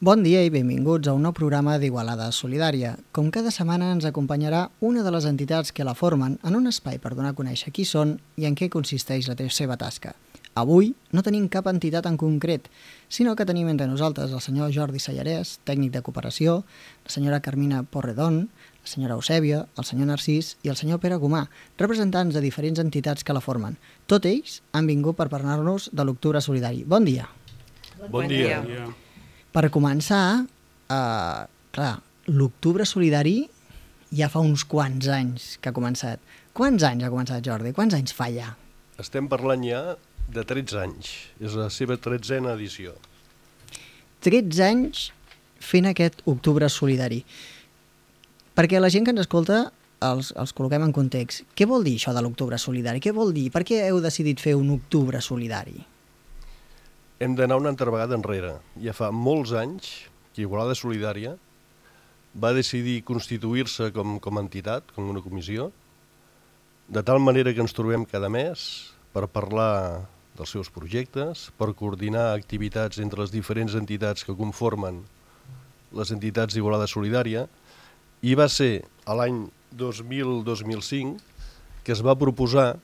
Bon dia i benvinguts a un nou programa d'Igualada Solidària. Com cada setmana ens acompanyarà una de les entitats que la formen en un espai per donar a conèixer qui són i en què consisteix la seva tasca. Avui no tenim cap entitat en concret, sinó que tenim entre nosaltres el senyor Jordi Sallarès, tècnic de cooperació, la senyora Carmina Porredón, la senyora Eusèbia, el senyor Narcís i el senyor Pere Gomà, representants de diferents entitats que la formen. Tots ells han vingut per parlar-nos de l'Octubre Solidari. Bon dia. Bon dia. Per començar, clar, l'Octubre Solidari ja fa uns quants anys que ha començat. Quants anys ha començat, Jordi? Quants anys fa ja? Estem parlant ja de 13 anys. És la seva 13a edició. 13 anys fent aquest Octubre Solidari. Perquè la gent que ens escolta els col·loquem en context. Què vol dir això de l'Octubre Solidari? Què vol dir? Per què heu decidit fer un Octubre Solidari? Hem d'anar una altra vegada enrere. Ja fa molts anys que Igualada Solidària va decidir constituir-se com a entitat, com una comissió, de tal manera que ens trobem cada mes per parlar dels seus projectes, per coordinar activitats entre les diferents entitats que conformen les entitats d'Igualada Solidària, i va ser a l'any 2000-2005 que es va proposar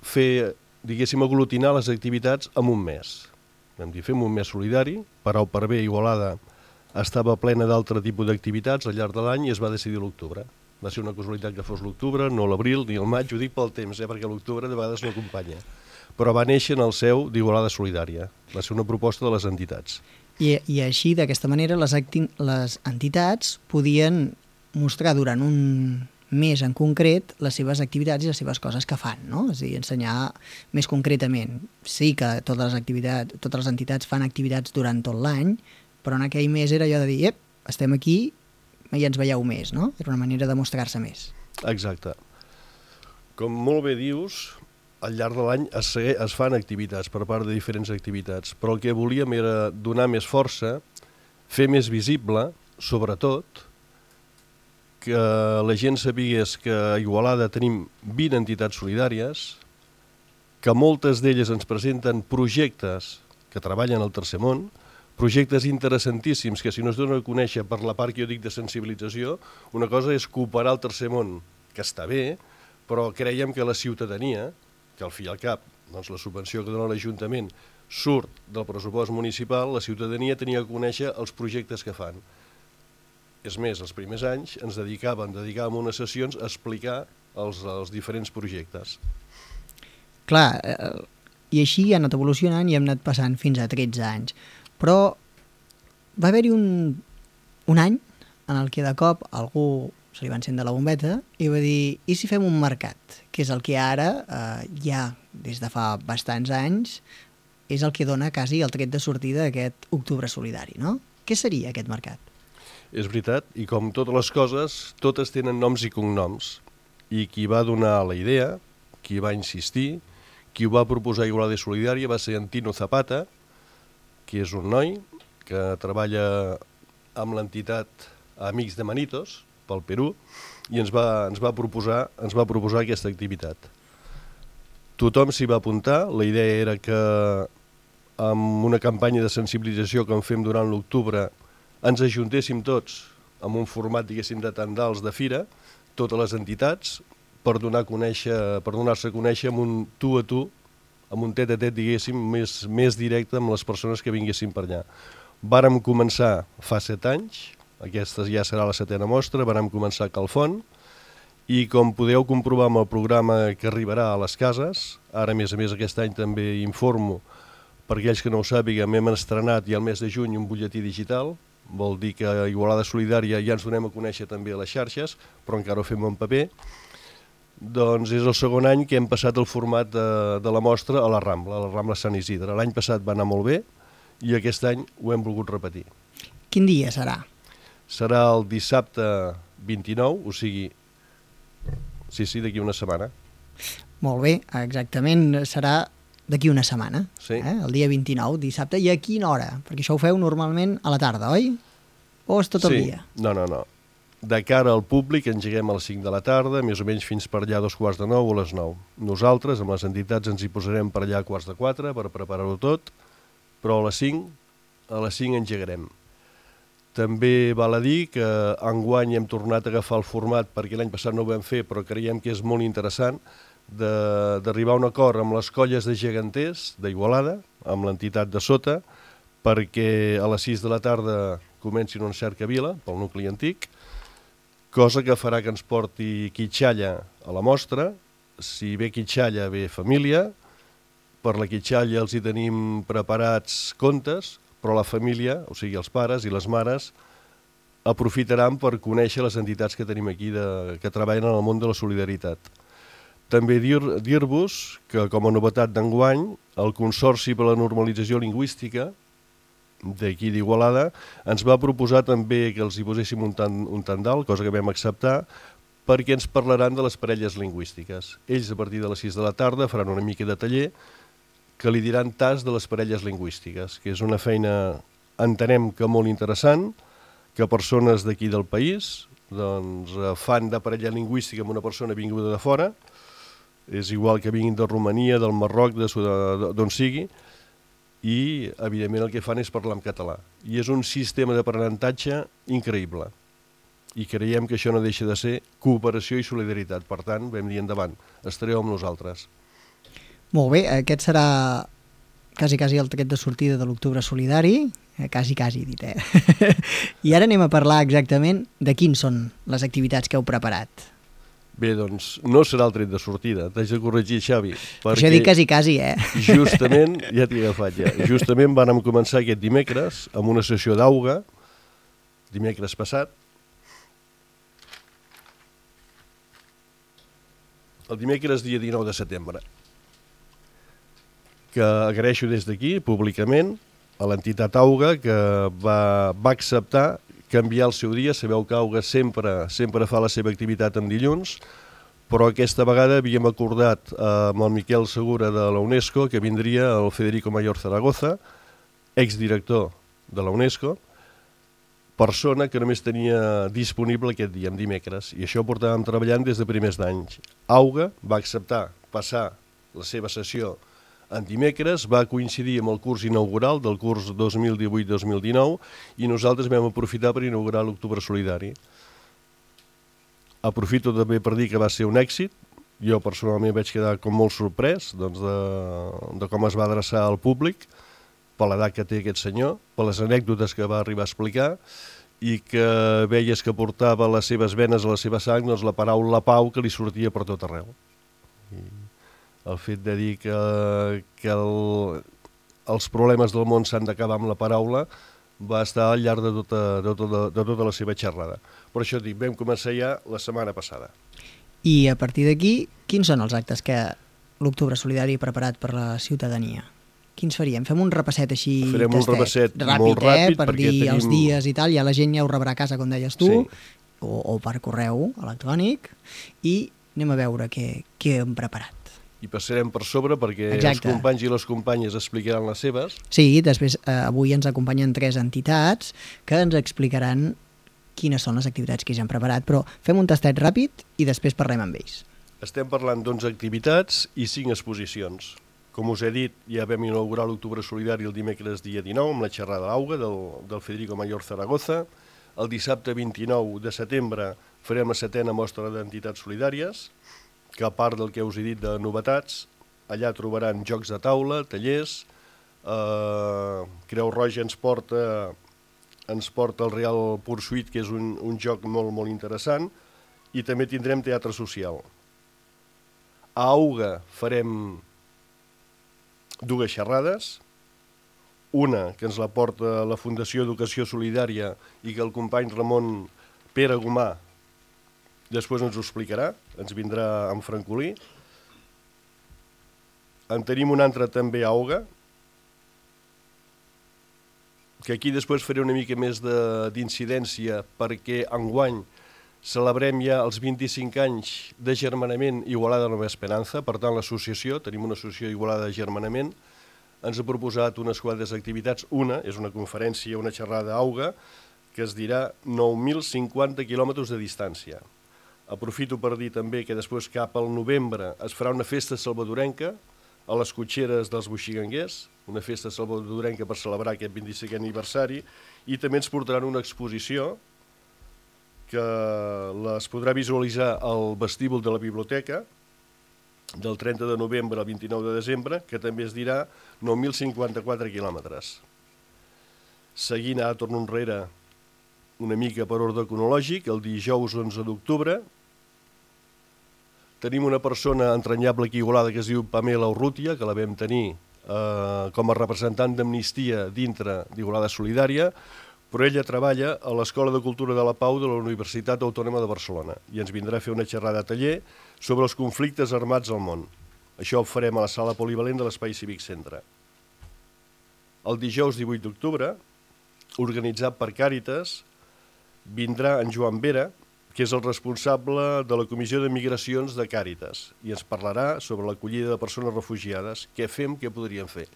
fer, diguéssim, aglutinar les activitats en un mes. Vam dir, fem un mes solidari, per au per bé Igualada estava plena d'altre tipus d'activitats al llarg de l'any i es va decidir l'octubre. Va ser una casualitat que fos l'octubre, no l'abril ni el maig, ho dic pel temps, perquè l'octubre de vegades no acompanya. Però va néixer en el seu d'Igualada Solidària. Va ser una proposta de les entitats. I així, d'aquesta manera, les entitats podien mostrar durant un mes en concret les seves activitats i les seves coses que fan, no? És a dir, ensenyar més concretament. Sí que totes les entitats fan activitats durant tot l'any, però en aquell mes era allò de dir, estem aquí i ens veieu més, no? Era una manera de mostrar-se més. Exacte. Com molt bé dius, al llarg de l'any es fan activitats per part de diferents activitats, però el que volíem era donar més força, fer més visible, sobretot, que la gent sabés que a Igualada tenim 20 entitats solidàries, que moltes d'elles ens presenten projectes que treballen al tercer món, projectes interessantíssims que si no es donen a conèixer per la part que jo dic de sensibilització, una cosa és cooperar al tercer món, que està bé, però creiem que la ciutadania, que al fi i al cap, doncs la subvenció que dona l'Ajuntament surt del pressupost municipal, la ciutadania tenia que conèixer els projectes que fan. És més, els primers anys ens dedicàvem unes sessions a explicar els diferents projectes. Clar, i així ha anat evolucionant i hem anat passant fins a 13 anys. Però va haver-hi un any en el que de cop algú se li va encendre la bombeta i va dir, i si fem un mercat? Que és el que ara, ja des de fa bastants anys, és el que dona quasi el tret de sortida d'aquest Octubre Solidari, no? Què seria aquest mercat? És veritat, i com totes les coses, totes tenen noms i cognoms. I qui va donar la idea, qui va insistir, qui ho va proposar a Igualada Solidària va ser Antino Zapata, que és un noi que treballa amb l'entitat Amics de Manitos, pel Perú, i ens va proposar aquesta activitat. Tothom s'hi va apuntar, la idea era que amb una campanya de sensibilització que en fem durant l'octubre ens ajuntéssim tots amb un format, diguéssim, de tendals de fira, totes les entitats, per donar-se a conèixer amb un tu a tu, amb un tet-a-tet, diguéssim, més directe amb les persones que vinguessin per allà. Vàrem començar fa 7 anys, aquesta ja serà la 7a mostra, vàrem començar a Calfont, i com podeu comprovar amb el programa que arribarà a les cases, ara a més aquest any també informo, per aquells que no ho sàpiguen, hem estrenat ja al mes de juny un butlletí digital, vol dir que a Igualada Solidària ja ens donem a conèixer també a les xarxes, però encara ho fem en paper. Doncs és el segon any que hem passat el format de la mostra a la Rambla Sant Isidre. L'any passat va anar molt bé i aquest any ho hem volgut repetir. Quin dia serà? Serà el dissabte 29, o sigui, sí, d'aquí una setmana. Molt bé, exactament, serà d'aquí una setmana, sí. El dia 29, dissabte. I a quina hora? Perquè això ho feu normalment a la tarda, oi? O és tot el dia? No. De cara al públic engeguem a les 5 de la tarda, més o menys fins per allà a 8:45 o a les 9. Nosaltres, amb les entitats, ens hi posarem per allà a 3:45 per preparar-ho tot, però a les 5 engegarem. També val a dir que enguany hem tornat a agafar el format, perquè l'any passat no ho vam fer, però creiem que és molt interessant, d'arribar a un acord amb les colles de geganters d'Igualada, amb l'entitat de sota, perquè a les 6 de la tarda comencin una cercavila pel nucli antic, cosa que farà que ens porti Quitxalla a la mostra. Si ve Quitxalla, ve família. Per la Quitxalla els hi tenim preparats contes, però la família, o sigui els pares i les mares, aprofitaran per conèixer les entitats que tenim aquí que treballen en el món de la solidaritat. També dir-vos que, com a novetat d'enguany, el Consorci per la Normalització Lingüística d'aquí d'Igualada ens va proposar també que els hi poséssim un tandal, cosa que vam acceptar, perquè ens parlaran de les parelles lingüístiques. Ells, a partir de les 6 de la tarda, faran una mica de taller que li diran tas de les parelles lingüístiques, que és una feina, entenem que molt interessant, que persones d'aquí del país doncs, fan de parella lingüística amb una persona vinguda de fora, és igual que vinguin de Romania, del Marroc, d'on sigui, i evidentment el que fan és parlar en català. I és un sistema d'aprenentatge increïble. I creiem que això no deixa de ser cooperació i solidaritat. Per tant, vam dir endavant, estareu amb nosaltres. Molt bé, aquest serà quasi el tret de sortida de l'Octubre Solidari, quasi dit, I ara anem a parlar exactament de quins són les activitats que heu preparat. Bé, doncs, no serà el tret de sortida, t'haig de corregir, Xavi. Això dic quasi, Justament, ja t'he agafat ja, justament vàrem començar aquest dimecres amb una sessió d'auga, dimecres passat. El dimecres dia 19 de setembre, que agraeixo des d'aquí, públicament, a l'entitat Auga, que va acceptar canviar el seu dia. Sabeu que Auga sempre fa la seva activitat en dilluns, però aquesta vegada havíem acordat amb el Miquel Segura de la UNESCO que vindria el Federico Mayor Zaragoza, exdirector de la UNESCO, persona que només tenia disponible aquest dia, en dimecres, i això ho portàvem treballant des de primers d'anys. Auga va acceptar passar la seva sessió en dimecres, va coincidir amb el curs inaugural del curs 2018-2019 i nosaltres vam aprofitar per inaugurar l'Octubre Solidari. Aprofito també per dir que va ser un èxit. Jo personalment vaig quedar com molt sorprès de com es va adreçar al públic, per l'edat que té aquest senyor, per les anècdotes que va arribar a explicar i que veies que portava a les seves venes, a la seva sang, doncs la paraula pau que li sortia per tot arreu. I el fet de dir que els problemes del món s'han d'acabar amb la paraula va estar al llarg de tota la seva xerrada. Per això dic, vam començar ja la setmana passada. I a partir d'aquí, quins són els actes que l'Octubre Solidari ha preparat per la ciutadania? Quins faríem? Fem un repasset així Farem un repasset molt ràpid per dir els dies i tal, ja la gent ja ho rebrà a casa, com deies tu, o per correu electrònic, i anem a veure què hem preparat. I passarem per sobre perquè els companys i les companyes explicaran les seves. Sí, després avui ens acompanyen 3 entitats que ens explicaran quines són les activitats que ja han preparat, però fem un tastet ràpid i després parlem amb ells. Estem parlant d'11 activitats i 5 exposicions. Com us he dit, ja vam inaugurar l'Octubre Solidari el dimecres dia 19 amb la xerrada d'Auga del Federico Mayor Zaragoza. El dissabte 29 de setembre farem la 7a mostra d'entitats solidàries, que a part del que us he dit de novetats, allà trobaran jocs de taula, tallers, Creu Roja ens porta el Real Pursuit, que és un joc molt, molt interessant, i també tindrem teatre social. A Auga farem 2 xerrades, una que ens la porta la Fundació Educació Solidària i que el company Ramon Pere Gomà després ens ho explicarà, ens vindrà en francolí. En tenim una altra també a Auga, que aquí després faré una mica més d'incidència perquè enguany celebrem ja els 25 anys de germanament Igualada Nova Esperança. Per tant, l'associació, tenim una associació Igualada de Germanament, ens ha proposat unes quantes activitats. Una és una conferència, una xerrada a Auga, que es dirà 9.050 quilòmetres de distància. Aprofito per dir també que després cap al novembre es farà una festa salvadorenca a les Cotxeres dels Boixiganguers, una festa salvadorenca per celebrar aquest 25è aniversari, i també ens portaran una exposició que les podrà visualitzar al vestíbul de la biblioteca del 30 de novembre al 29 de desembre, que també es dirà 9.054 quilòmetres. Seguint, ara torno enrere una mica per ordre cronològic, el dijous 11 d'octubre tenim una persona entranyable aquí a Igualada que es diu Pamela Urrutia, que la vam tenir com a representant d'Amnistia dintre d'Igualada Solidària, però ella treballa a l'Escola de Cultura de la Pau de la Universitat Autònoma de Barcelona i ens vindrà a fer una xerrada a taller sobre els conflictes armats al món. Això ho farem a la sala polivalent de l'Espai Cívic Centre. El dijous 18 d'octubre, organitzat per Càritas, vindrà en Joan Vera, que és el responsable de la Comissió de Migracions de Càritas, i ens parlarà sobre l'acollida de persones refugiades, què fem, què podríem fer.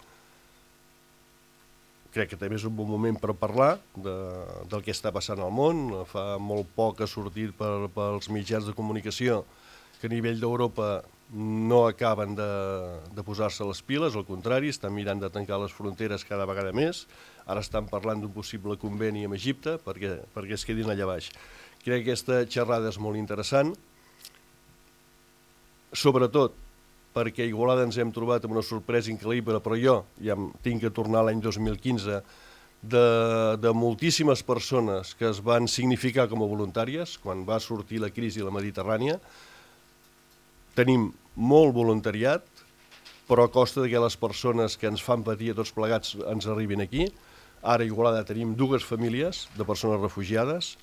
Crec que també és un bon moment per parlar del que està passant al món. Fa molt poc ha sortit pels mitjans de comunicació que a nivell d'Europa no acaben de posar-se les piles, al contrari, estan mirant de tancar les fronteres cada vegada més. Ara estan parlant d'un possible conveni amb Egipte perquè es quedin allà baix. Crec que aquesta xerrada és molt interessant, sobretot perquè a Igualada ens hem trobat amb una sorpresa increïble, però jo ja tinc que tornar a l'any 2015, de moltíssimes persones que es van significar com a voluntàries quan va sortir la crisi a la Mediterrània. Tenim molt voluntariat, però a costa que les persones que ens fan patir a tots plegats ens arribin aquí. Ara a Igualada tenim 2 famílies de persones refugiades.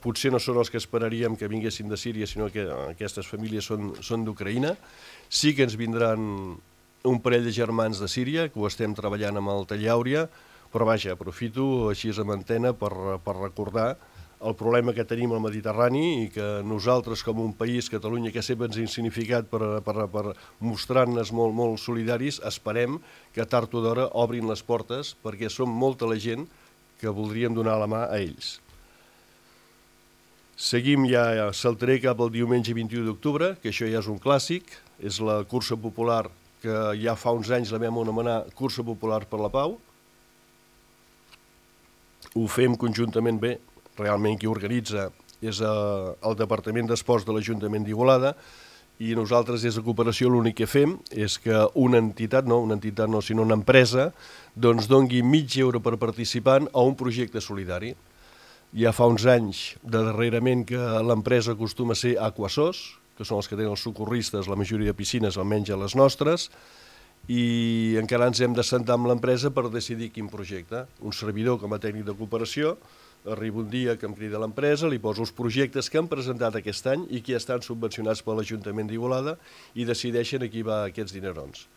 Potser no són els que esperaríem que vinguessin de Síria, sinó que aquestes famílies són d'Ucraïna. Sí que ens vindran un parell de germans de Síria, que ho estem treballant amb el Taller Àuria, però vaja, aprofito així amb antena per recordar el problema que tenim al Mediterrani i que nosaltres com un país, Catalunya, que sempre ens hem significat per mostrar-nos molt solidaris, esperem que tard o d'hora obrin les portes perquè som molta la gent que voldríem donar la mà a ells. Seguim, ja saltaré cap al diumenge 21 d'octubre, que això ja és un clàssic, és la cursa popular que ja fa uns anys la vam anomenar Cursa Popular per la Pau. Ho fem conjuntament bé, realment qui organitza és el Departament d'Esports de l'Ajuntament d'Igualada i nosaltres des de Cooperació l'únic que fem és que una entitat no, sinó una empresa, doncs doni €0,5 per participant a un projecte solidari. Ja fa uns anys, darrerament, que l'empresa acostuma a ser Aquasos, que són els que tenen els socorristes, la majoria de piscines, almenys a les nostres, i encara ens hem d'assentar amb l'empresa per decidir quin projecte. Un servidor com a tècnic de cooperació, arriba un dia que em crida l'empresa, li poso els projectes que han presentat aquest any i que estan subvencionats per l'Ajuntament d'Igualada i decideixen a qui va aquests dinerons,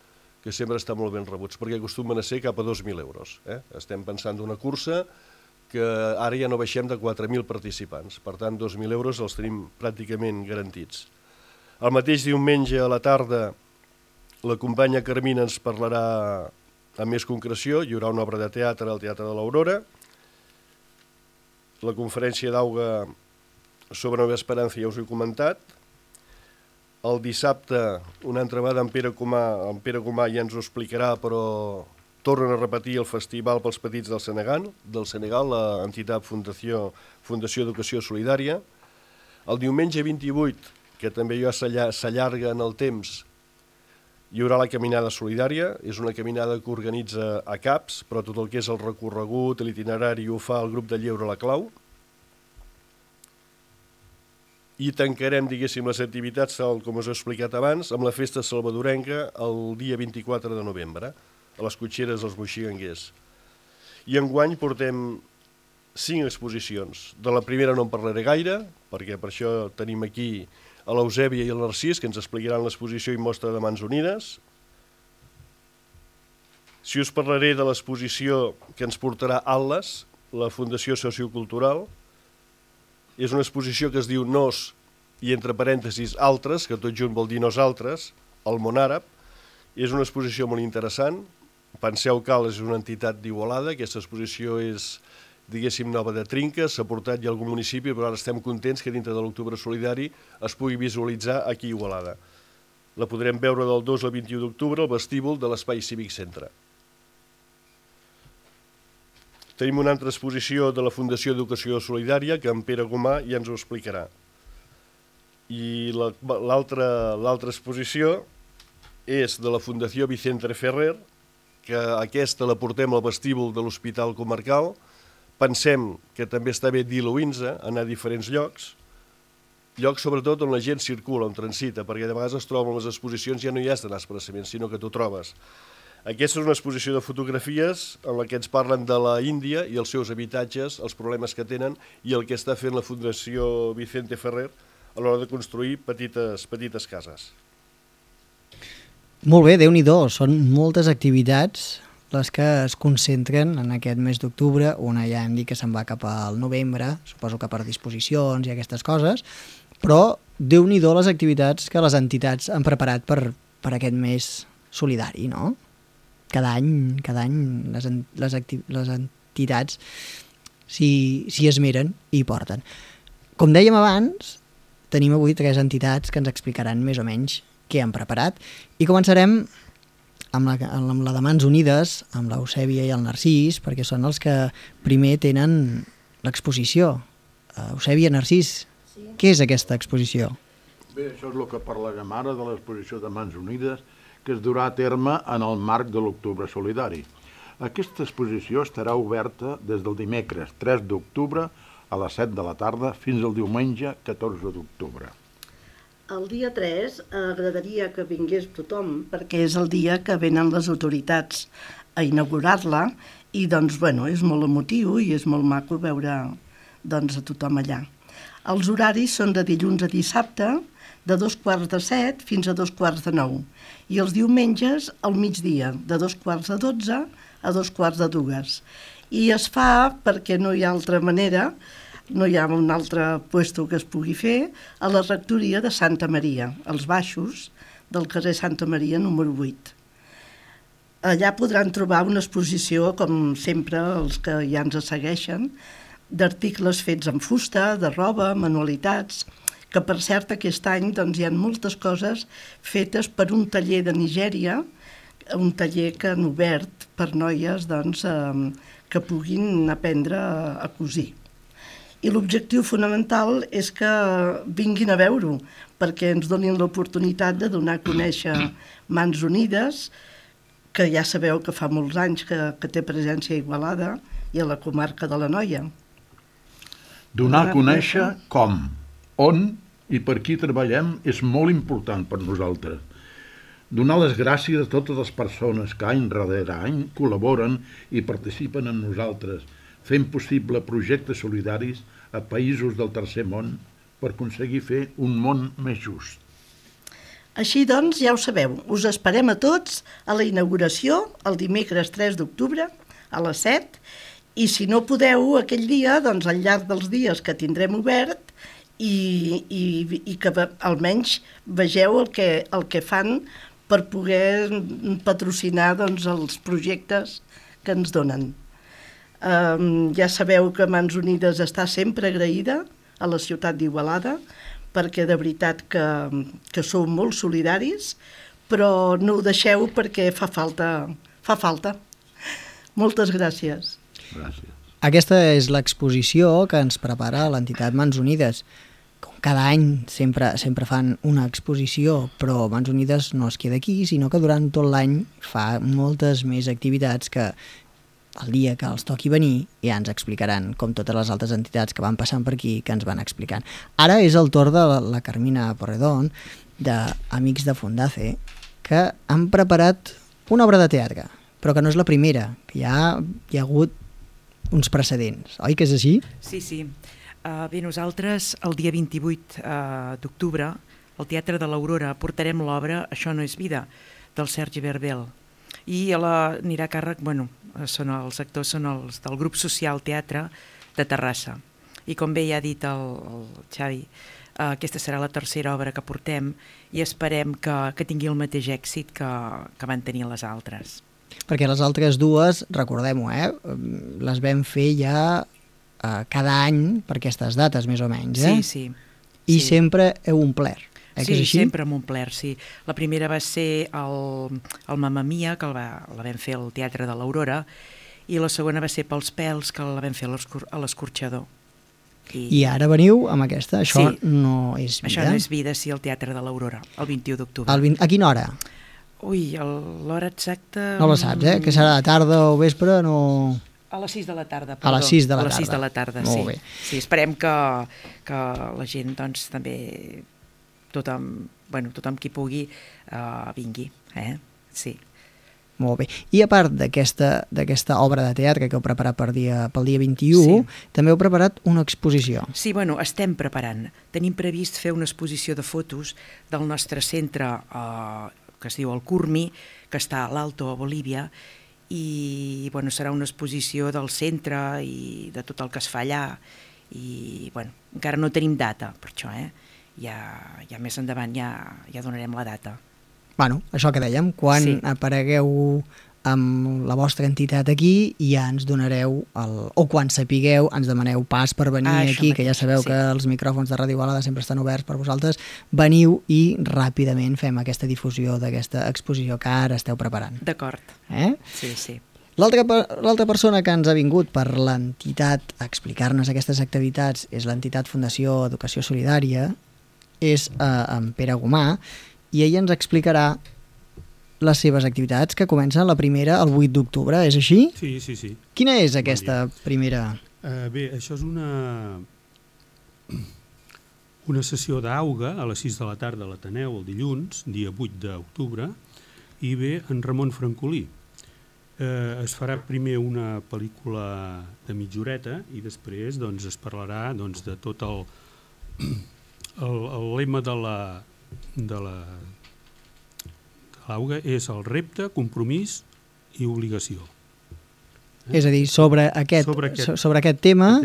que sempre estan molt ben rebuts, perquè acostumen a ser cap a €2.000. Estem pensant d'una cursa que ara ja no baixem de 4.000 participants. Per tant, €2.000 els tenim pràcticament garantits. El mateix diumenge a la tarda, la companya Carmina ens parlarà amb més concreció. Hi haurà una obra de teatre al Teatre de l'Aurora. La conferència d'Auga sobre Nova Esperança ja us ho he comentat. El dissabte, una altra vegada, en Pere Comà ja ens ho explicarà, però tornen a repetir el Festival pels Petits del Senegal, l'entitat Fundació Educació Solidària. El diumenge 28, que també ja s'allarga en el temps, hi haurà la Caminada Solidària. És una caminada que organitza a CAPS, però tot el que és el recorregut, l'itinerari, ho fa el grup de Lleure La Clau. I tancarem, diguéssim, les activitats, com us he explicat abans, amb la festa salvadorenca el dia 24 de novembre, a les Cotxeres dels Boixiganguers. I enguany portem 5 exposicions. De la primera no en parlaré gaire, perquè per això tenim aquí a l'Eusèbia i el Narcís, que ens explicaran l'exposició i mostra de Mans Unides. Si us parlaré de l'exposició que ens portarà Atlas, la Fundació Sociocultural, és una exposició que es diu Nos i entre parèntesis Altres, que tot junt vol dir nosaltres, al món àrab. És una exposició molt interessant. Penseu que és una entitat d'Igualada, aquesta exposició és, diguéssim, nova de trinca, s'ha portat ja a algun municipi, però ara estem contents que dintre de l'Octubre Solidari es pugui visualitzar aquí a Igualada. la podrem veure del 2 al 21 d'octubre al vestíbul de l'Espai Cívic Centre. Tenim una altra exposició de la Fundació Educació Solidària, que en Pere Gomà ja ens ho explicarà. I l'altra exposició és de la Fundació Vicente Ferrer, que aquesta la portem al vestíbul de l'Hospital Comarcal. Pensem que també està bé diluint-se, anar a diferents llocs sobretot on la gent circula, on transita, perquè de vegades es troben les exposicions, ja no hi has d'anar expressament, sinó que t'ho trobes. Aquesta és una exposició de fotografies en la que ens parlen de la Índia i els seus habitatges, els problemes que tenen i el que està fent la Fundació Vicente Ferrer a l'hora de construir petites cases. Molt bé, Déu-n'hi-do, són moltes activitats les que es concentren en aquest mes d'octubre. Una ja hem dit que se'n va cap al novembre, suposo que per disposicions i aquestes coses, però Déu-n'hi-do les activitats que les entitats han preparat per aquest mes solidari, no? Cada any les entitats s'hi esmeren i hi porten. Com dèiem abans, tenim avui 3 entitats que ens explicaran més o menys què han preparat i començarem amb la de Mans Unides, amb l'Eusèbia i el Narcís, perquè són els que primer tenen l'exposició. Eusèbia, Narcís, sí. Què és aquesta exposició? Bé, això és el que parlàvem ara de l'exposició de Mans Unides, que es durà a terme en el marc de l'Octubre Solidari. Aquesta exposició estarà oberta des del dimecres 3 d'octubre a les 7 de la tarda fins al diumenge 14 d'octubre. El dia 3 agradaria que vingués tothom, perquè és el dia que venen les autoritats a inaugurar-la i doncs, és molt emotiu i és molt maco veure a tothom allà. Els horaris són de dilluns a dissabte, de 7:15 fins a 8:45, i els diumenges al migdia, de 11:45 a 2:45. I es fa, perquè no hi ha altra manera, no hi ha un altre puesto que es pugui fer, a la rectoria de Santa Maria, als baixos del carrer Santa Maria número 8. Allà podran trobar una exposició, com sempre els que ja ens segueixen, d'articles fets en fusta, de roba, manualitats, que per cert aquest any hi ha moltes coses fetes per un taller de Nigèria, un taller que han obert per noies que puguin aprendre a cosir. I l'objectiu fonamental és que vinguin a veure-ho, perquè ens donin l'oportunitat de donar a conèixer Mans Unides, que ja sabeu que fa molts anys que té presència a Igualada i a la comarca de l'Anoia. Donar a conèixer com, on i per qui treballem és molt important per nosaltres. Donar les gràcies a totes les persones que any darrere any col·laboren i participen amb nosaltres, fent possible projectes solidaris a països del tercer món per aconseguir fer un món més just. Així doncs, ja ho sabeu, us esperem a tots a la inauguració el dimecres 3 d'octubre a les 7, i si no podeu aquell dia, al llarg dels dies que tindrem obert, i que almenys vegeu el que fan per poder patrocinar els projectes que ens donen. Ja sabeu que Mans Unides està sempre agraïda a la ciutat d'Igualada, perquè de veritat que sou molt solidaris, però no ho deixeu perquè fa falta. Moltes gràcies. Gràcies. Aquesta és l'exposició que ens prepara l'entitat Mans Unides. Com cada any sempre fan una exposició, però Mans Unides no es queda aquí, sinó que durant tot l'any fa moltes més activitats que el dia que els toqui venir ja ens explicaran, com totes les altres entitats que van passant per aquí, que ens van explicant. Ara és el torn de la Carmina Porredón, d'Amics de Fundace, que han preparat una obra de teatre, però que no és la primera, que ja hi ha hagut uns precedents, oi que és així? Sí. Bé, nosaltres el dia 28 d'octubre al Teatre de l'Aurora portarem l'obra Això no és vida, del Sergi Verbel, i anirà a càrrec, els actors són els del grup social Teatre de Terrassa, i com bé ja ha dit el Xavi, aquesta serà la tercera obra que portem i esperem que tingui el mateix èxit que van tenir les altres. Perquè les altres dues, recordem-ho, les vam fer ja cada any per aquestes dates, més o menys. Sí. I sempre heu omplert. que Sí, és així? sempre m'ho omplert, sí. La primera va ser el Mamma Mia, que la vam fer al Teatre de l'Aurora, i la segona va ser Pels pèls, que la vam fer a l'Escorxador. I ara veniu amb aquesta, això Sí. no és vida. Això no és vida, sí, al Teatre de l'Aurora, el 21 d'octubre. A quina hora? Ui, l'hora exacta... No la saps, que serà de tarda o vespre, no... A les 6 de la tarda, A les 6 de la A les 6 tarda. de la tarda, Molt sí. bé. Sí, esperem que la gent, doncs, també, tothom qui pugui, vingui, Sí. Molt bé. I a part d'aquesta obra de teatre que heu preparat pel dia 21, també heu preparat una exposició. Sí, bueno, estem preparant. Tenim previst fer una exposició de fotos del nostre centre, que es diu el Curmi, que està a l'Alto, a Bolívia, i bueno, serà una exposició del centre i de tot el que es fa allà, i bueno, encara no tenim data per això, ja més endavant ja donarem la data. Bueno, això que dèiem, quan aparegueu amb la vostra entitat aquí ja ens donareu, o quan sapigueu ens demaneu pas per venir aquí, que ja sabeu que els micròfons de Ràdio Igualada sempre estan oberts per vosaltres, veniu i ràpidament fem aquesta difusió d'aquesta exposició que ara esteu preparant. D'acord. Sí, sí. L'altra persona que ens ha vingut per l'entitat a explicar-nos aquestes activitats és l'entitat Fundació Educació Solidària, és en Pere Gomà, i ell ens explicarà les seves activitats, que comencen la primera el 8 d'octubre, és així? Sí. Quina és aquesta primera? Bé, això és una sessió d'auga a les 6 de la tarda a l'Ateneu, el dilluns, dia 8 d'octubre, i ve en Ramon Francolí. Es farà primer una pel·lícula de mitja horeta i després es parlarà de tot el lema de l'auga és el repte, compromís i obligació. És a dir, sobre aquest tema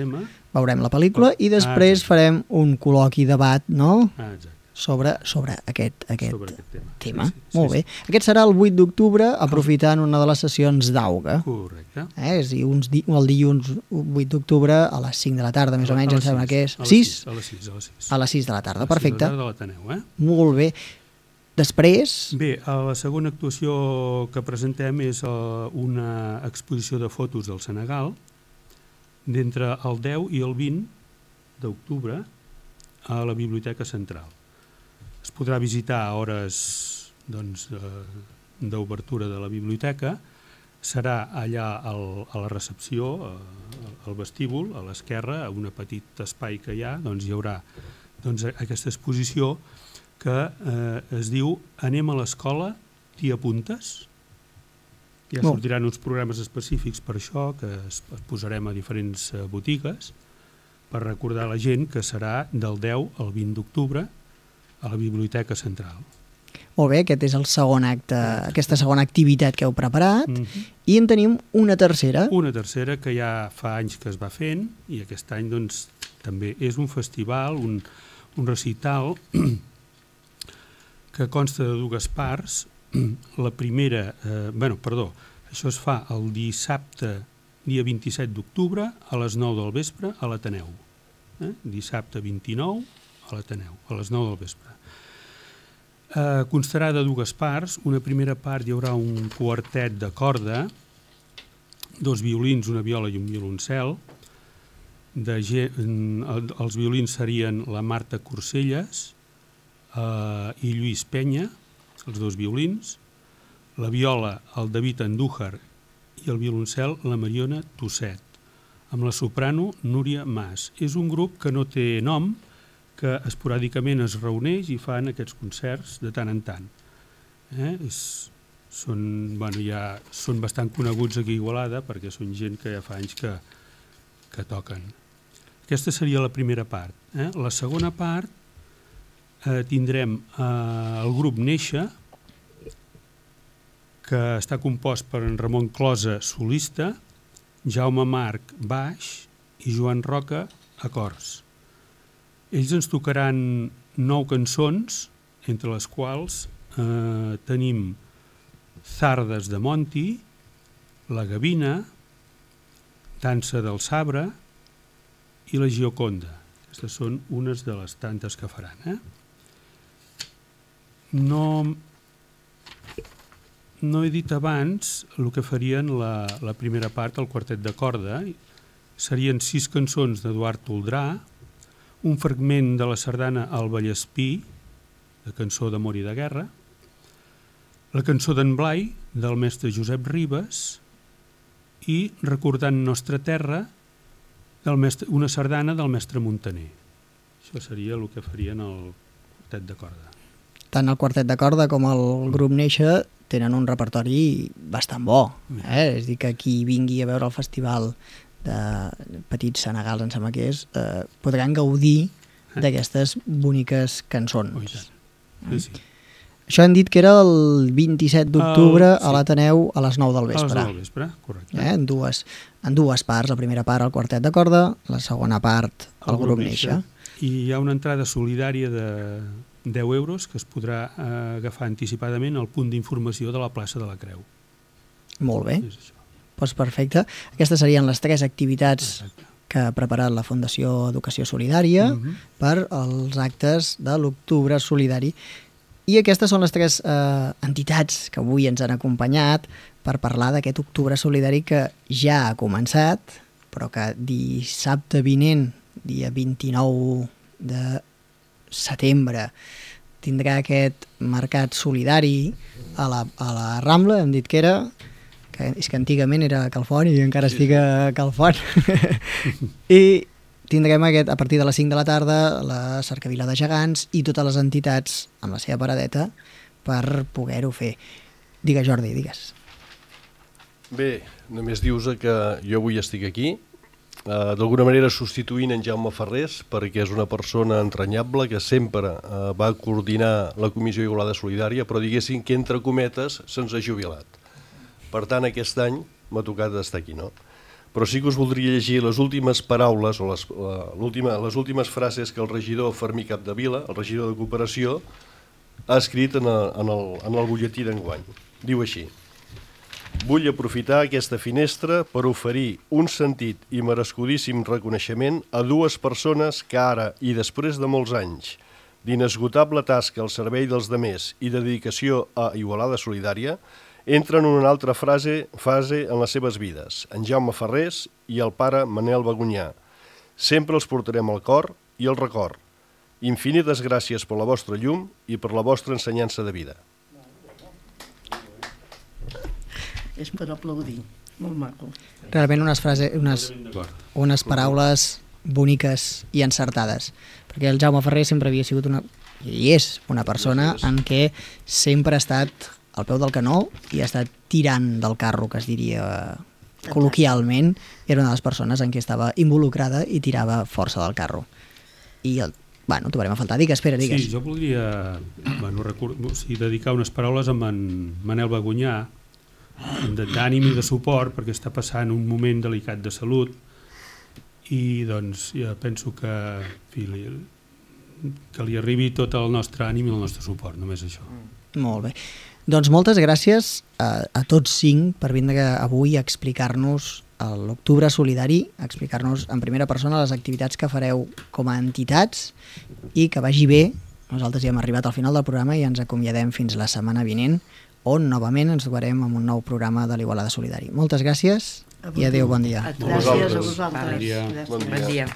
veurem la pel·lícula i després farem un col·loqui debat, no? Sobre aquest tema. Molt bé. Aquest serà el 8 d'octubre, aprofitant una de les sessions d'auga. Correcte. És a dir, el dilluns 8 d'octubre a les 5 de la tarda, més o menys, em sembla que és. 6? A les 6. A les 6 de la tarda, perfecte. A les 6 de la tarda de l'Ateneu, Molt bé. Després? Bé, la segona actuació que presentem és una exposició de fotos del Senegal d'entre el 10 i el 20 d'octubre a la Biblioteca Central. Es podrà visitar a hores d'obertura de la biblioteca, serà allà a la recepció, al vestíbul, a l'esquerra, a un petit espai que hi ha, hi haurà aquesta exposició que es diu Anem a l'escola, t'hi apuntes? Ja sortiran uns programes específics per això, que es posarem a diferents botigues, per recordar a la gent que serà del 10 al 20 d'octubre a la Biblioteca Central. Molt bé, aquest és el segon acte, aquesta segona activitat que heu preparat, i en tenim una tercera. Una tercera que ja fa anys que es va fent, i aquest any també és un festival, un recital que consta de dues parts. La primera, això es fa el dissabte, dia 27 d'octubre, a les 9 del vespre, a l'Ateneu. Dissabte 29, a l'Ateneu, a les 9 del vespre. Constarà de dues parts. Una primera part hi haurà un quartet de corda, 2 violins, una viola i un violoncel. Els violins serien la Marta Corselles i Lluís Penya, els 2 violins. La viola, el David Andújar, i el violoncel, la Mariona Tosset, amb la soprano Núria Mas. És un grup que no té nom, que esporàdicament es reuneix i fan aquests concerts de tant en tant. Són bastant coneguts aquí a Igualada perquè són gent que ja fa anys que toquen. Aquesta seria la primera part. La segona part tindrem el grup Néixer, que està compost per en Ramon Closa, solista, Jaume Marc, baix, i Joan Roca, acords. Ells ens tocaran 9 cançons, entre les quals tenim Zardes de Monti, La Gavina, Dansa del Sabre i La Gioconda. Aquestes són unes de les tantes que faran. No he dit abans el que farien la primera part, el quartet de corda. Serien 6 cançons d'Eduard Toldrà, un fragment de la sardana El Vallespí, de cançó d'amor i de guerra, la cançó d'en Blai, del mestre Josep Ribes, i Recordant Nostra Terra, una sardana del mestre Montaner. Això seria el que farien el quartet de corda. Tant el quartet de corda com el grup Néixer tenen un repertori bastant bo. És a dir, que qui vingui a veure el festival de Petits Senegals, em sembla que és, podran gaudir d'aquestes boniques cançons. Sí. Això hem dit que era el 27 d'octubre a l'Ateneu a les 9 del vespre. A les 9 del vespre, correcte. En dues parts. La primera part el quartet de corda, la segona part el grup Néixer. I hi ha una entrada solidària de 10 euros que es podrà agafar anticipadament al punt d'informació de la plaça de la Creu. Molt bé. Doncs perfecte. Aquestes serien les 3 activitats que ha preparat la Fundació Educació Solidària per als actes de l'Octubre Solidari. I aquestes són les 3 entitats que avui ens han acompanyat per parlar d'aquest Octubre Solidari que ja ha començat, però que dissabte vinent, dia 29 de setembre, tindrà aquest mercat solidari a la Rambla, hem dit que era, que és que antigament era Calfont i encara estic a Calfont. I tindrem a partir de les 5 de la tarda la Cercavila de Gegants i totes les entitats amb la seva paradeta per poder-ho fer. Digues, Jordi, digues. Bé, només dius que jo avui estic aquí, d'alguna manera substituint en Jaume Ferrés, perquè és una persona entranyable que sempre va coordinar la Comissió Igualada Solidària, però diguéssim que entre cometes se'ns ha jubilat. Per tant, aquest any m'ha tocat estar aquí, no? Però sí que us voldria llegir les últimes paraules o les últimes frases que el regidor Fermí Capdevila, el regidor de Cooperació, ha escrit en el butlletí d'enguany. Diu així: vull aprofitar aquesta finestra per oferir un sentit i merescudíssim reconeixement a 2 persones que ara, i després de molts anys, d'inesgotable tasca al servei dels demés i de dedicació a Igualada Solidària, entren en una altra fase en les seves vides, en Jaume Ferrés i el pare Manel Bagunyà. Sempre els portarem al cor i al record. Infinites gràcies per la vostra llum i per la vostra ensenyança de vida. És per aplaudir, molt maco. Realment unes paraules boniques i encertades, perquè el Jaume Ferrer sempre havia sigut i és una persona en què sempre ha estat al peu del canó i ha estat tirant del carro, que es diria col·loquialment, era una de les persones en què estava involucrada i tirava força del carro. I trobarem a faltar. Digues. Sí, jo voldria dedicar unes paraules a en Manel Bagunyà, d'ànim i de suport, perquè està passant un moment delicat de salut i doncs ja penso que li arribi tot el nostre ànim i el nostre suport, només això. Molt bé. Doncs moltes gràcies a tots 5 per vindre avui a explicar-nos l'Octubre Solidari, a explicar-nos en primera persona les activitats que fareu com a entitats i que vagi bé. Nosaltres ja hem arribat al final del programa i ens acomiadem fins la setmana vinent, on novament ens trobarem amb un nou programa de l'Igualada Solidari. Moltes gràcies i adéu, bon dia. Gràcies a vosaltres. Bon dia. Bon dia.